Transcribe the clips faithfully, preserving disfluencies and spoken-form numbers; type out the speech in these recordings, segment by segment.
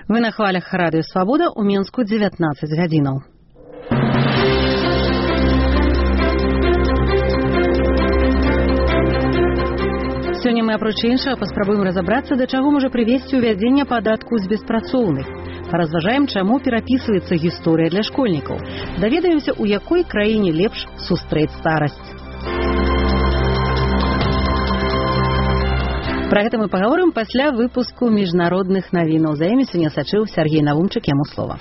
Вы на хвалях Радыё Свабода, у Мінску дзевятнаццаць гадзінаў. Сёння мы, апроч іншага, паспрабуем разабрацца, да чаго можа прывесці ўвядзенне падатку з беспрацоўных. Паразважаем, чаму перапісваецца гісторыя для школьнікаў. Даведаемся, у якой краіне лепш сустрэць старасць. Пра гэта мы пагаворым пасля выпуску міжнародных навінаў. За імі сёння сачыў Сергей Навумчык, яму слова.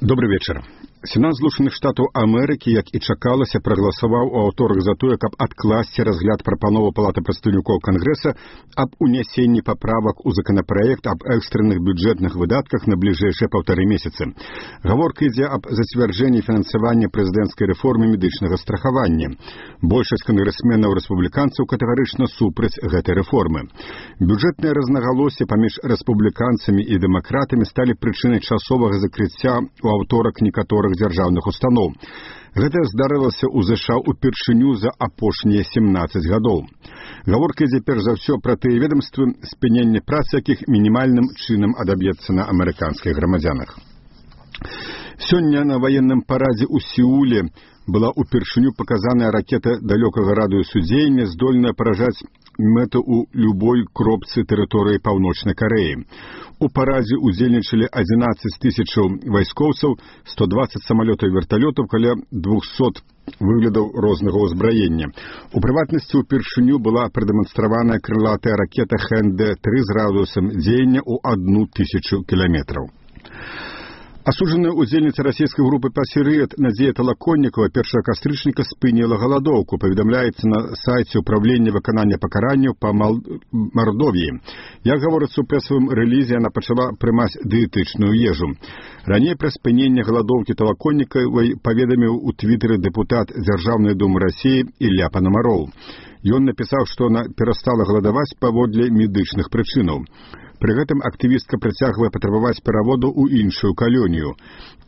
Добрый вечер. Сенат Злучаных Штатаў Амерыкі, як і чакалася, прагаласаваў у аўторак за тое, каб адкласці разгляд прапановы Палаты прадстаўнікоў Кангрэса аб унясенні паправак у законапраект аб экстранных бюджэтных выдатках на бліжэйшыя паўтары месяцы. Гаворка ідзе аб зацвярджэнні фінансавання прэзідэнцкай рэформы медычнага страхавання. Большасць кангрэсменаў рэспубліканцаў катэгарычна супраць гэтай рэформы. Бюджэтныя рознагалоссі паміж рэспубліканцамі і дэмакратамі сталі прычынай часовага закрыцця у аўторак некаторых дзяржаўных устаноў. Гэта здарылася ў ЗША упершыню за апошнія семнаццаць гадоў. Гаворка ідзе перш за ўсё пра тыя ведомствы, спынення працы якіх мінімальным чынам адаб'ецца на амерыканскіх грамадзянах. Сёння на ваенным парадзе ў Сеуле была упершыню паказаная ракета далёкага радыусу дзеяння, здольная паражаць мэту ў любой кропцы тэрыторыі Паўночнай Карэі. У парадзе удзельнічалі адзінаццаць тысячаў вайскоўцаў, сто дваццаць самалётаў і верталётаў, каля двухсот выглядаў рознага ўзбраення. У прыватнасці упершыню была прадэманстраваная крылатая ракета Хэн Дэ тры з радыусам дзеяння ў адну тысячу кіламетраў. Асуджаная удзельніца расійскай групы «Пасірыет» Надзея Талаконнікава першага кастрычніка спыніла галадоўку, паведамляецца на сайце ўправлення выканання пакаранняў па Мардовіі. Як гаворыцца ў прэсавым рэлізе, яна пачала прымаць дыетычную ежу. Раней пра спыненне галадоўкі Талаконнікавай паведаміў у твітары дэпутат Дзяржаўнай думы Расіі Ілля Панамароў. Ён напісаў, што яна перастала галадаваць паводле медычных прычынаў. Пры гэтым актывістка працягвае патрабаваць пераводу ў іншую калонію.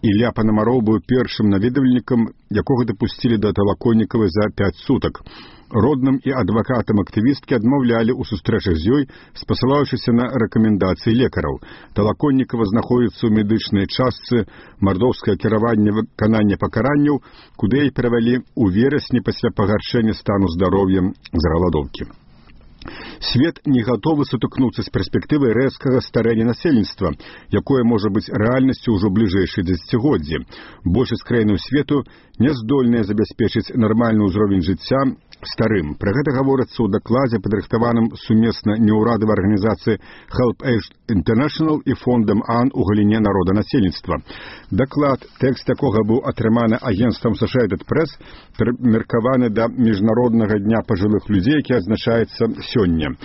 Ілля Панамароў быў першым наведвальнікам, якога дапусцілі да Талаконнікавай за пяць сутак. Родным і адвакатам актывісткі адмаўлялі ў сустрэчах з ёй, спасылаючыся на рэкамендацыі лекараў. Талаконнікава знаходзіцца ў медычнай частцы мардоўскае кіраванне выканання пакаранняў, куды яе перавялі ў верасні пасля пагаршэння стану здароўя з галадоўкі. Свет не гатовы сутыкнуцца з перспектывай рэзкага старэння насельніцтва, якое можа быць рэальнасцю ўжо бліжэйшай дзесяцігоддзі. Большасць краінаў свету не здольныя забяспечыць нармальны ўзровень жыцця старым. Пра гэта гаворыцца ў дакладзе, падрыхтаваным сумесна неўрадавай арганізацыі Help Age International і фондам АН у галіне народанасельніцтва. Даклад, тэкст якога быў атрыманы агенцтвам Associated Press, прымеркаваны да міжнароднага дня пажылых людзей, які адзначаецца сёння.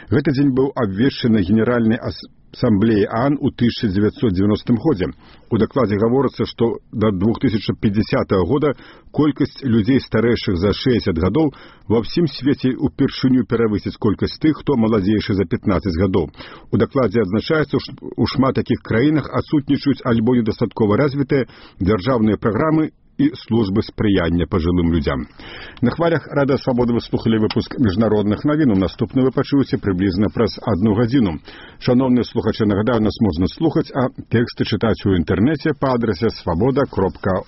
Гэты дзень быў абвешчаны Генеральнай асамблеяй АН у тысяча дзевяцьсот дзевяностым годзе. У дакладзе гаворыцца, што да две тысячы пятидесятого года колькасць людзей старэйшых за шэсцьдзесят гадоў ва ўсім свеце упершыню перавысіць колькасць тых, хто маладзейшы за пятнаццаць гадоў. У дакладзе адзначаецца, што ў шмат такіх краінах адсутнічаюць альбо недастаткова развітыя дзяржаўныя праграмы і службы спрыяння пажылым людзям. На хвалях Радыё Свабода вы слухалі выпуск міжнародных навін. Наступны вы пачуеце прыблізна праз адну гадзіну. Шановныя слухачы, нагадаю, нас можна слухаць, а тэксты чытаць у інтэрнэце па адрасе свабода кропка